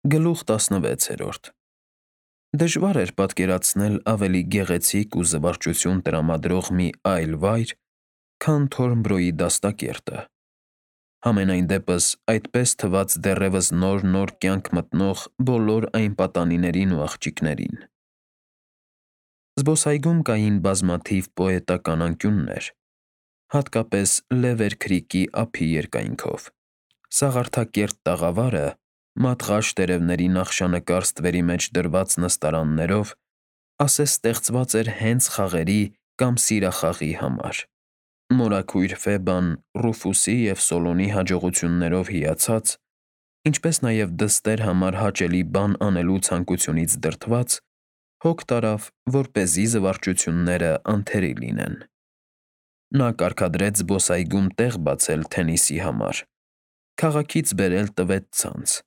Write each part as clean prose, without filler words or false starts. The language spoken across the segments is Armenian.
Գլուխ 16 Դժվար էր պատկերացնել ավելի գեղեցիկ ու զվարճություն տրամադրող մի այլ վայր, քան Թորնբրոյի դաստակերտը, համենայն դեպս այդպես թվաց դեռևս նոր կյանք մտնող բոլոր այն պատանիներին ու աղջիկներին։ Զբոսայգում կային բազմաթիվ պոետական անկյուններ, հատկապես Լևեր Քրիքի ափի երկայնքով։ Սաղարթակերտ տաղավարը, մատղաշ տերևների նախշանկար ստվերի մեջ դրված նստարաններով, ասես ստեղծված էր հենց խաղերի կամ սիրախաղի համար։ Մորաքույր Ֆեբան Ռուֆուսի և Սոլոնի հաջողություններով հիացած, ինչպես նաև դստեր համար հաճելի բան անելու ցանկությունից դրդված, հոգ տարավ, որպեսզի զվարճությունները անթերի լինեն։ Նա կարգադրեց զբոսայգում տեղ բացել թենիսի համար, քաղաքից բերել տվեց ցանց,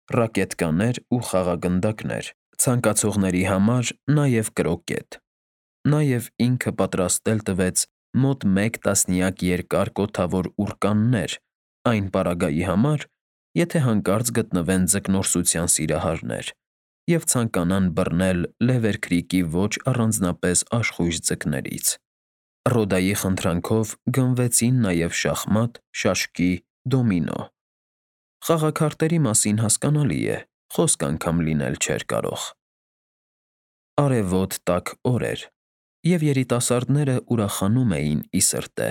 ռակետկաներ ու խաղագնդակներ, ցանկացողների համար նաև կրոկետ։ Նաև ինքը պատրաստել տվեց մոտ 1 տասնյակ երկար կոթավոր ուռկաններ այն պարագայի համար, եթե հանկարծ գտնվեն ձկնորսության սիրահարներ և ցանկանան բռնել Լևեր Քրիքի ոչ առանձնապես աշխույժ ձկներից։ Ռոդայի խնդրանքով գնվեցին նաև շախմատ, շաշկի, դոմինո։ Խաղաքարտերի մասին հասկանալի է, խոսք անգամ լինել չէր կարող։ Արևոտ տաք օր էր, և երիտասարդները ուրախանում էին ի սրտե։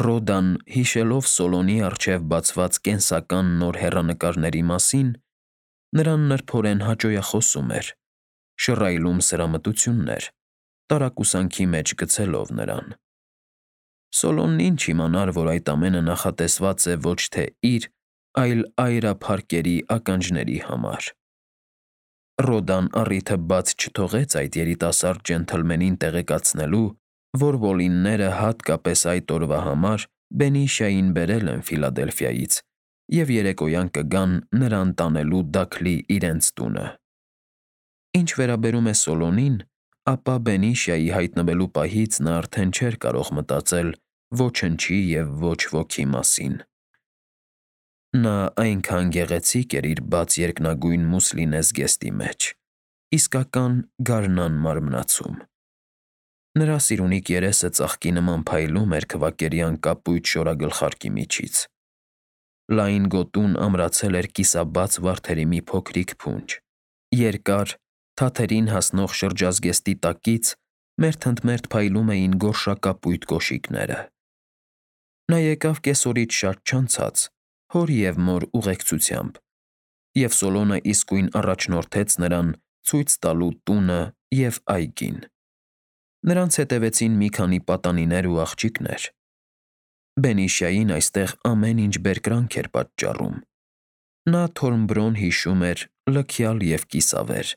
Ռոդան, հիշելով Սոլոնի առջև բացված կենսական նոր հեռանկարների մասին, նրան նրբորեն հաճոյախոսում էր, շռայլում սրամտություններ, տարակուսանքի մեջ գցելով նրան։ Սոլոնն ինչ իմանար, որ այդ ամենը նախատեսված է ոչ թե իր, այլ այրափարկերի ականջների համար։ Ռոդան առիթը բաց չթողեց այդ երիտասարդ ջենթլմենին տեղեկացնելու, որ Ոլինները հատկապես այդ օրվա համար Բենիշիային բերել են Ֆիլադելֆիայից և երեկոյան կգան նրան տանելու Դաքլի իրենց տունը։ Ինչ վերաբերում է Սոլոնին, ապա Բենիշիայի հայտնվելու պահից նա արդեն չէր կարող մտածել ոչնչի և ոչ ոքի մասին։ Նա այնքան գեղեցիկ էր իր բաց երկնագույն մուսլինե զգեստի մեջ, իսկական գարնան մարմնացում։ Նրա սիրունիկ երեսը ծաղկի նման փայլում էր քվակերյան կապույտ շորագլխարկի միջից։ Լայն գոտուն ամրացել էր կիսաբաց վարդերի մի փոքրիկ փունջ։ Երկար, թաթերին հասնող շրջազգեստի տակից մերթընդմերթ փայլում էին գորշակապույտ կոշիկները։ Նա եկավ կեսօրից շատ չանցած, հոր և մոր ուղեկցությամբ, և Սոլոնը իսկույն առաջնորդեց նրան ցույց տալու տունը և այգին։ Նրանց հետևեցին մի քանի պատանիներ ու աղջիկներ։ Բենիշիային այստեղ ամեն ինչ բերկրանք էր պատճառում։ Նա Թորնբրոն հիշում էր լքյալ և կիսավեր,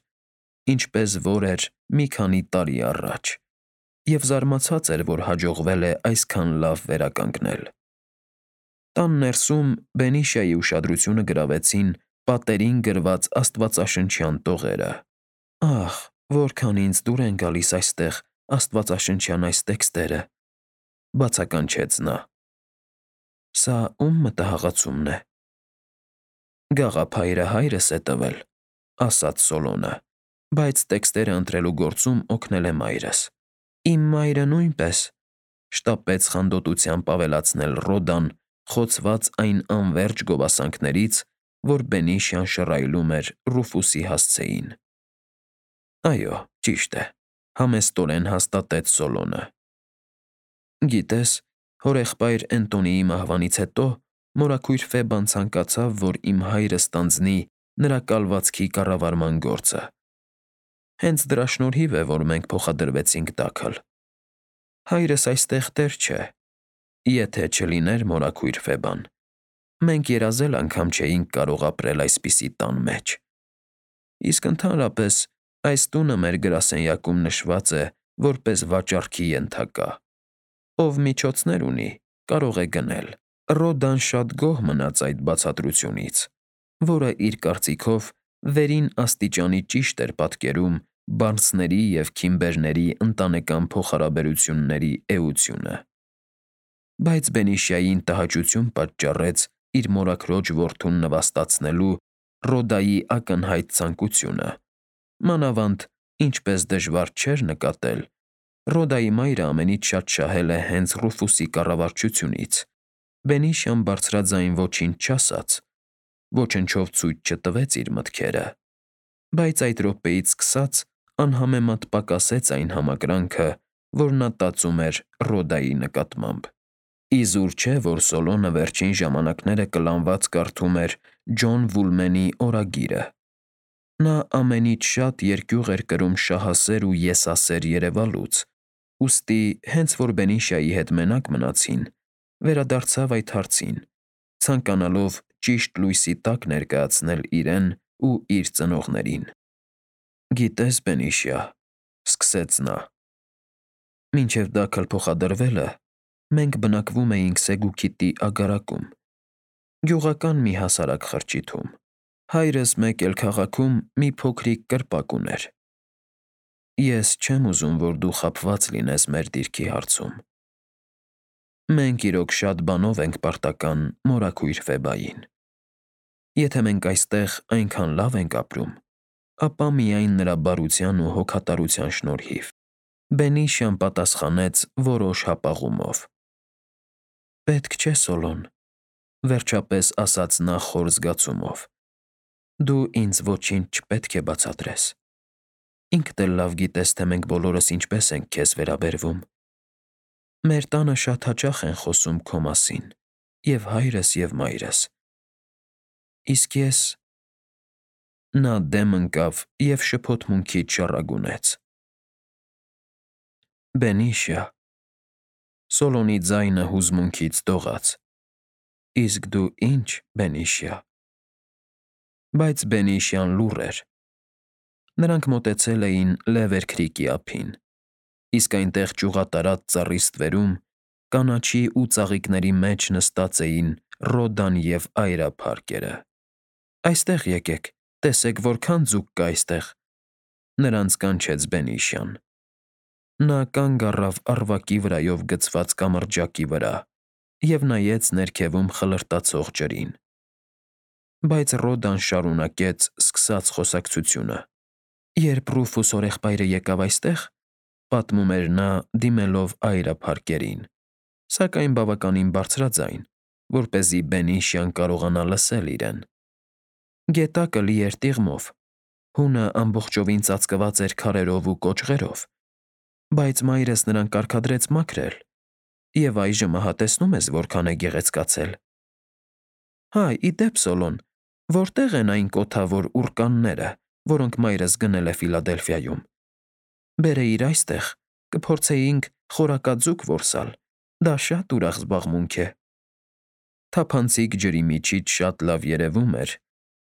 ինչպես որ էր մի քանի տարի առաջ, և զարմացած էր, որ հաջողվել է այսքան լավ վերականգնել։ Տան ներսում Բենիշիայի ուշադրությունը գրավեցին պատերին գրված աստվածաշնչյան տողերը։ «Ահ, որքան ինձ դուր են գալիս այստեղ աստվածաշնչյան այս տեքստերը», բացականչեց նա։ «Սա ո՞ւմ մտահաղացումն է»։ «Գաղափայրը հայրս է տվել», ասաց Սոլոնը, «բայց տեքստերը ընտրելու գործում օգնել է մայրս»։ «Իմ մայրը նույնպես», շտապեց խանդոտությամբ ավելացնել Ռոդան, խոցված այն անվերջ գովասանքներից, որ Բենիշիան շռայլում էր Ռուֆուսի հասցեին։ «Այո, ճիշտ է», համեստորեն հաստատեց Սոլոնը։ «Գիտես, հորեղբայր Էնտոնիի մահվանից հետո մորաքույր Ֆեբան ցանկացավ, որ իմ հայրը ստանձնի նրա կալվածքի կառավարման գործը։ Հենց դրա շնորհիվ է, որ մենք փոխադրվեցինք Դաքլ։ Հայրս այստեղ տեր չէ, եթե չլիներ մորաքույր Ֆեբան, մենք երազել անգամ չէինք կարող ապրել այսպիսի տան մեջ։ Իսկ ընդհանրապես այս տունը մեր գրասենյակում նշված է որպես վաճառքի ենթակա։ Ով միջոցներ ունի, կարող է գնել»։ Ռոդան շատ գոհ մնաց այդ բացատրությունից, որը, իր կարծիքով, վերին աստիճանի ճիշտ էր պատկերում Բարնսների և Քիմբերների ընտանեկան փոխհարաբերությունների էությունը։ Բայց Բենիշիային տհաճություն պատճառեց իր մորաքրոջ որդուն նվաստացնելու Ռոդայի ակնհայտ ցանկությունը, մանավանդ ինչպես դժվար չէր նկատել, Ռոդայի մայրը ամենից շատ շահել է հենց Ռուֆուսի կառավարչությունից։ Բենիշիան բարձրաձայն ոչինչ չասաց, ոչնչով ցույց չտվեց իր մտքերը, բայց այդ րոպեից սկսած անհամեմատ պակասեց այն համակրանքը, որ նա տածում էր Ռոդայի նկատմամբ։ Իզուր չէ, որ Սոլոնը վերջին ժամանակները կլանված կարդում էր Ջոն Վուլմենի օրագիրը։ Նա ամենից շատ երկյուղ էր կրում շահասեր ու եսասեր երևալուց, ուստի հենց որ Բենիշիայի հետ մենակ մնացին, վերադարձավ այդ հարցին, ցանկանալով ճիշտ լույսի տակ ներկայացնել իրեն ու իր ծնողներին։ «Գիտես, Բենիշիա,» սկսեց նա, «մինչև դա քլփոխադրվելը մենք բնակվում էինք Սեգուքիտի ագարակում, գյուղական մի հասարակ խրճիթում։ Հայրս մեկ էլ քաղաքում մի փոքրիկ կրպակ ուներ։ Ես չեմ ուզում, որ դու խաբված լինես մեր դիրքի հարցում։ Մենք իրոք շատ բանով ենք պարտական մորաքույր Ֆեբային։ Եթե մենք այստեղ այնքան լավ ենք ապրում, ապա միայն նրա բարության ու հոգատարության շնորհիվ»։ Բենիշիան պատասխանեց որոշ հապաղումով. «Պետք չէ, Սոլոն», վերջապես ասաց նա խոր զգացումով։ «Դու ինձ ոչինչ չպետք է բացատրես։ Ինքդ էլ լավ գիտես, թե մենք բոլորս ինչպես ենք քեզ վերաբերվում։ Մեր տանը շատ հաճախ են խոսում քո մասին, և հայրս, և մայրս։ Իսկ ես…» Նա դեմ ընկավ և շփոթմունքից շառագունեց. «Բենիշիա», Սոլոնի ձայնը հուզմունքից դողաց, «իսկ դու ի՞նչ, Բենիշիա»։ Բայց Բենիշիան լուռ էր։ Նրանք մոտեցել էին Լևեր Քրիքի ափին, իսկ այնտեղ ճյուղատարած ծառի ստվերում, կանաչի ու ծաղիկների մեջ նստած էին Ռոդան և Այրա փարկերը։ «Այստեղ եկեք, տեսեք որքան ձուկ կա այստեղ», նրանց կանչեց Բենիշիան։ Նա կանգ առավ առվակի վրայով գցված կամրջակի վրա և նայեց ներքևում խլրտացող ջրին։ Բայց Ռոդան շարունակեց սկսած խոսակցությունը. «Երբ Ռուֆուս հորեղբայրը եկավ այստեղ, — պատմում էր նա, դիմելով Այրա փարկերին, սակայն բավականին բարձրաձայն, որպեսզի Բենիշիան կարողանա լսել իրեն, — գետակը լի էր տիղմով, հունը ամբողջովին ծածկված էր քարերով ու կոճղերով, բայց մայրս նրան կարգադրեց մաքրել, և այժմ ահա տեսնում ես որքան է գեղեցկացել։ Հա, ի դեպ, Սոլոն, որտե՞ղ են այն կոթավոր ուռկանները, որոնք մայրս գնել է Ֆիլադելֆիայում։ Բերեիր այստեղ, կփորձեինք խորակաձուկ որսալ, դա շատ ուրախ զբաղմունք է»։ Թափանցիկ ջրի միջից շատ լավ երևում էր,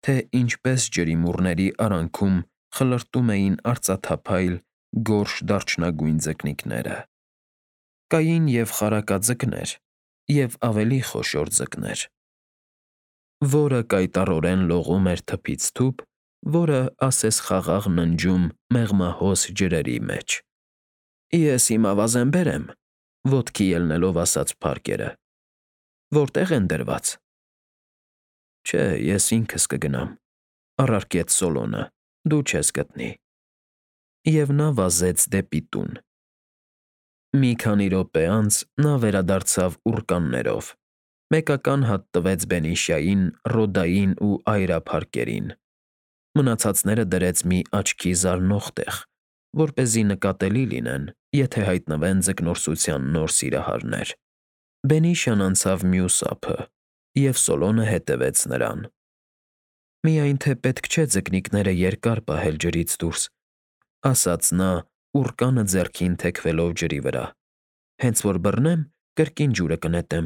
թե ինչպես ջրիմուռների արանքում խլրտում էին արծաթափայլ, գորշ դարչնագույն ձկնիկները։ Կային և խարակաձկներ, և ավելի խոշոր ձկներ, որը կայտառորեն լողում էր թփից թուփ, որը ասես խաղաղ ննջում մեղմահոս ջրերի մեջ։ «Ես իմ ավազեն բերեմ», ոտքի ելնելով ասաց փարկերը։ «Որտե՞ղ են դրված»։ «Չէ, ես ինքս կգնամ», առարկեց Սոլոնը, «դու չես գտնի»։ Եվ նա վազեց դեպի տուն։ Մի քանի րոպե անց նա վերադարձավ ուռկաններով, մեկական հատ տվեց Բենիշիային, Ռոդային ու Այրա փարկերին, մնացածները դրեց մի աչքի զարնող տեղ, որպեսզի նկատելի լինեն, եթե հայտնվեն ձկնորսության նոր սիրահարներ։ Բենիշիան անցավ մյուս ափը, և Սոլոնը հետևեց նրան։ «Միայն թե պետք չէ ձկնիկները երկար պահել ջրից դուրս», ասաց նա, ուռկանը ձեռքին թեքվելով ջրի վրա։ «Հենց որ բռնեմ, կրկին ջուրը կնետեմ։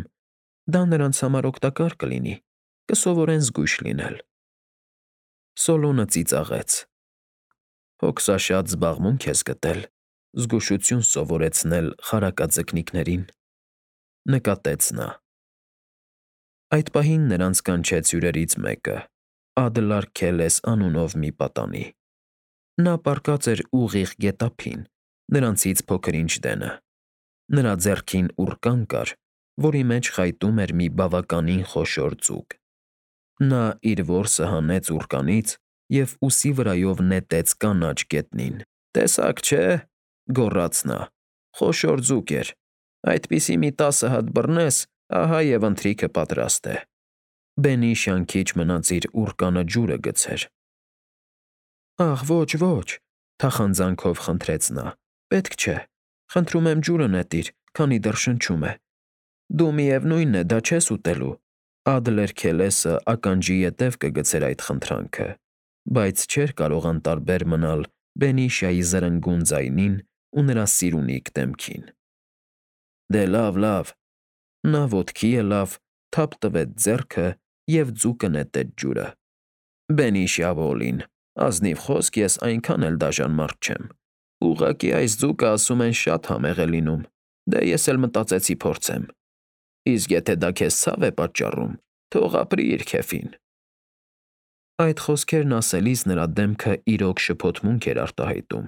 Դա նրանց համար օգտակար կլինի, կսովորեն զգույշ լինել»։ Սոլոնը ծիծաղեց. «Հոգսաշատ զբաղմունք ես գտել՝ զգուշություն սովորեցնել խարակաձկնիկներին», նկատեց նա։ Այդ պահին նրանց կանչեց հյուրերից մեկը՝ Ադլար Քելես անունով մի պատանի։ Նա պառկած էր ուղիղ գետափին, նրանցից փոքր-ինչ դենը։ Նրա ձեռքին ուռկան կար, որի մեջ խայտում էր մի բավականին խոշոր ձուկ։ Նա իր որսը հանեց ուռկանից և ուսի վրայով նետեց կանաչ գետնին։ «Տեսակ չէ,» գոռաց նա, «խոշոր ձուկ էր։ Այդպիսի մի 10 հատ բռնես, ահա և ընթրիքը պատրաստ է»։ Բենիշան քիչ մնաց իր ուռկանը ջուրը գցեր։ «Ախ, ոչ, ոչ,» թախանձանքով խնդրեց նա, «պետք չէ, խնդրում եմ ջուրը նետիր, քանի դեռ շնչում է։ Դու միևնույն է, դա չես ուտելու»։ Ադլեր-Քելեսը ականջի ետև կգցեր այդ խնդրանքը, բայց չէր կարող անտարբեր մնալ Բենիշիայի զրնգուն ձայնին ու նրա սիրունիկ դեմքին։ «Դե լավ, լավ»։ Նա ոտքի ելավ, թափ տվեց ձեռքը և ձուկը նետեց ջուրը։ «Բենիշիա Վոլին, ազնիվ խոսք ես այնքան էլ դաժան մարդ չեմ։ Ուղղակի այս ձուկը, ասում են, շատ համեղ է լինում, դե ես էլ մտածեցի փորձեմ։ Իսկ եթե դա քեզ ցավ է պատճառում, թող ապրի իր քեֆին»։ Այդ խոսքերն ասելիս նրա դեմքը իրոք շփոթմունք էր արտահայտում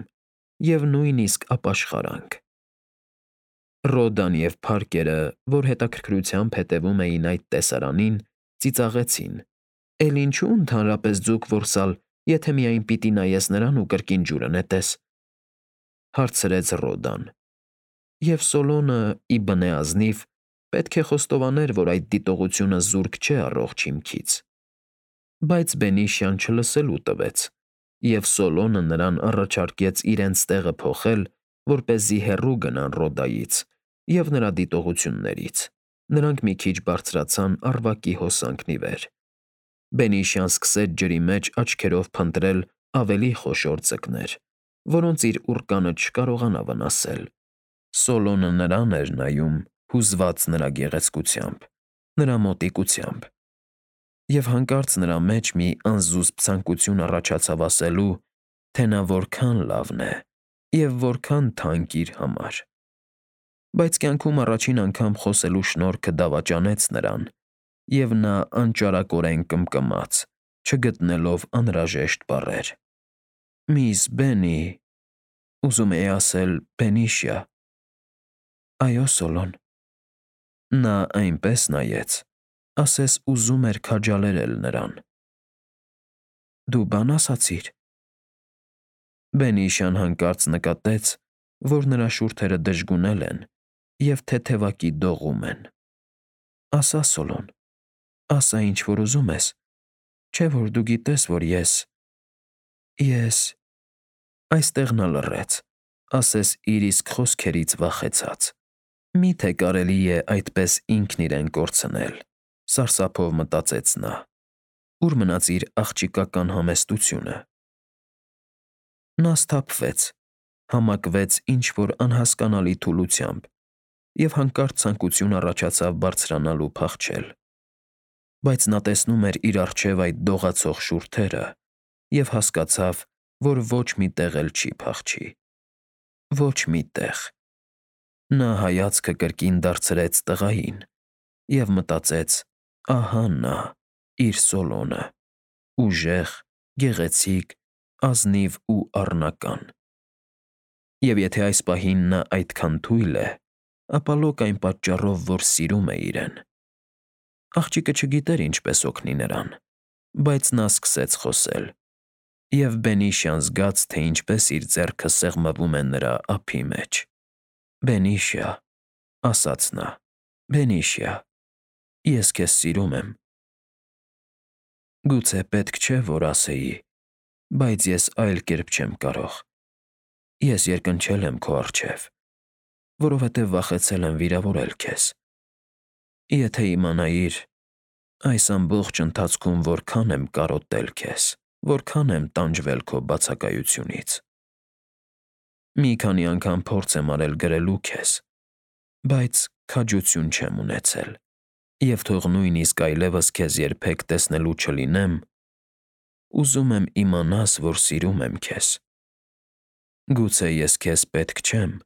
և նույնիսկ ապաշխարանք։ Ռոդան և Փարքերը, որ հետաքրքրությամբ հետևում էին այդ տեսարանին, ծիծաղեցին. «Էլ ինչու ընդհանրապես ձուկ որսալ, եթե միայն պիտի նայես նրան ու կրկին ջուրը նետես»։ Հարցրեց Ռոդան։ Եվ Սոլոնը, ի բնե ազնիվ, պետք է խոստովաներ, որ այդ դիտողությունը զուրկ չէ առողջ հիմքից։ Բայց Բենիշիան չլսելու տվեց, և Սոլոնը նրան առաջարկեց իրենց տեղը փոխել, որպեսզի հեռու գնան Ռոդայից և նրա դիտողություններից։ Նրանք մի քիչ բարձրացան առվակի հոսանքն ի վեր։ Բենիշիան սկսեց ջրի մեջ աչքերով փնտրել ավելի խոշոր ձկներ, որոնց իր ուռկանը չկարողանա վնասել։ Սոլոնը նրան էր նայում, հուզված նրա գեղեցկությամբ, նրա մոտիկությամբ, և հանկարծ նրա մեջ մի անզուսպ ցանկություն առաջացավ ասելու, թե նա որքան լավն է և որքան թանկ իր համար։ Բայց կյանքում առաջին անգամ խոսելու շնորհքը դավաճանեց նրան, և նա անճարակորեն կմկմաց, չգտնելով անհրաժեշտ բառեր։ «Միս Բենի… ուզում էի ասել Բենիշիա»։ «Այո, Սոլոն»։ Նա այնպես նայեց, ասես ուզում էր քաջալերել նրան։ «Դու բան ասացի՞ր»։ Բենիշիան հանկարծ նկատեց, որ նրա շուրթերը դժգունել են և թեթևակի դողում են։ «Ասա, Սոլոն, ասա, ինչ որ ուզում ես, չէ՞ որ դու գիտես, որ ես… Այստեղ նա լռեց, ասես իր իսկ խոսքերից վախեցած։ Մի՞թե կարելի է այդպես ինքն իրեն կորցնել, սարսափով մտածեց նա։ Ուր մնաց իր աղջիկական համեստությունը։ Նա սթափվեց, համակվեց ինչ-որ անհասկանալի թուլությամբ և հանկարծ ցանկություն առաջացավ բարձրանալ ու փախչել։ Բայց նա տեսնում էր իր առջև այդ դողացող շուրթերը և հասկացավ, որ ոչ մի տեղ էլ չի փախչի։ Ոչ մի տեղ։ Նա հայացքը կրկին դարձրեց տղային և մտածեց. ահա նա, իր Սոլոնը, ուժեղ, գեղեցիկ, ազնիվ ու առնական։ Եվ եթե այս պահին նա այդքան թույլ է, ապա լոկ այն պատճառով, որ սիրում է իրեն։ Աղջիկը չգիտեր ինչպես օգնի նրան, բայց նա սկսեց խոսել, և Բենիշիան զգաց, թե ինչպես իր ձեռքը սեղմվում է նրա ափի մեջ։ «Բենիշիա», ասաց նա, «Բենիշիա, ես քեզ սիրում եմ»։ Գուցե պետք չէ, որ ասեի, բայց ես այլ կերպ չեմ կարող։ Ես երկնչել եմ քո առջև, որովհետև վախեցել եմ վիրավորել քեզ։ Եթե իմանայիր այս ամբողջ ընթացքում որքան եմ կարոտել քեզ, որքան եմ տանջվել քո բացակայությունից։ Մի քանի անգամ փորձ եմ արել գրելու քեզ, բայց քաջություն չեմ ունեցել, և թող նույնիսկ այլևս քեզ երբեք տեսնելու չլինեմ, ուզում եմ իմանաս, որ սիրում եմ քեզ։ Գուցե ես քեզ պետք չեմ,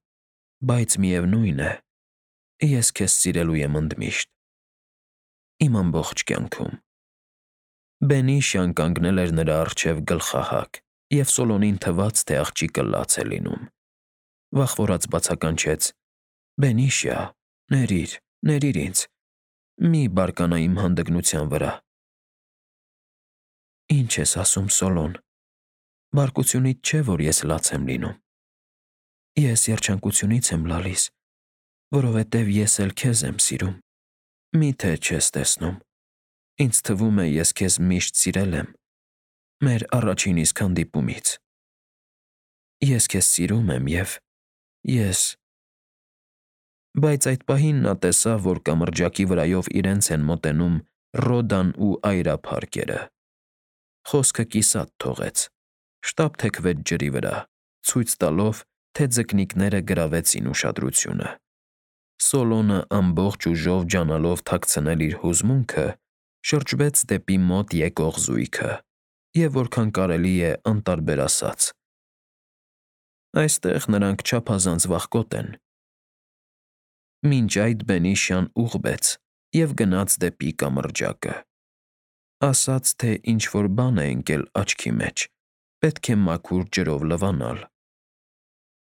բայց միևնույն է, ես քեզ սիրելու եմ ընդմիշտ, իմ ամբողջ կյանքում։ Բենիշիան կանգնել էր նրա առջև գլխահակ, և Սոլոնին թվաց, թե աղջիկը լաց է լինում։ Վախվորած բացականչեց. «Բենիշիա, ների՛ր ինձ, մի բարկանա իմ հանդգնության վրա»։ Ինչ ես ասում, Սոլոն, բարկությունից չէ, որ ես լաց եմ լինում։ Ես երջանկությունից եմ լալիս, որովհետև ես էլ քեզ եմ սիրում։ Միթե չես տեսնում։ Ինձ թվում է, ես քեզ միշտ սիրել եմ, մեր առաջին իսկ հանդիպումից։ Ես քեզ սիրում եմ և ես… Բայց այդ պահին նա տեսավ, որ կամրջակի վրայով իրենց են մոտենում Ռոդան ու Այրա փառքերը։ Խոսքը կիսատ թողեց, շտապ թեքվեց ջրի վրա, ցույց տալով, թե ձկնիկները գրավեցին ուշադրությունը։ Սոլոնը ամբողջ ուժով ջանալով թաքցնել իր հուզմունքը, շրջվեց դեպի մոտ եկող զույգը և որքան կարելի է անտարբեր ասաց. «Այստեղ նրանք չափազանց վախկոտ են»։ Մինչ այդ բենիշյան ուղղվեց և գնաց դեպի կամրջակը։ Ասաց, թե ինչ-որ բան է ընկել աչքի մեջ, պետք է մաքուր ջրով լվանալ։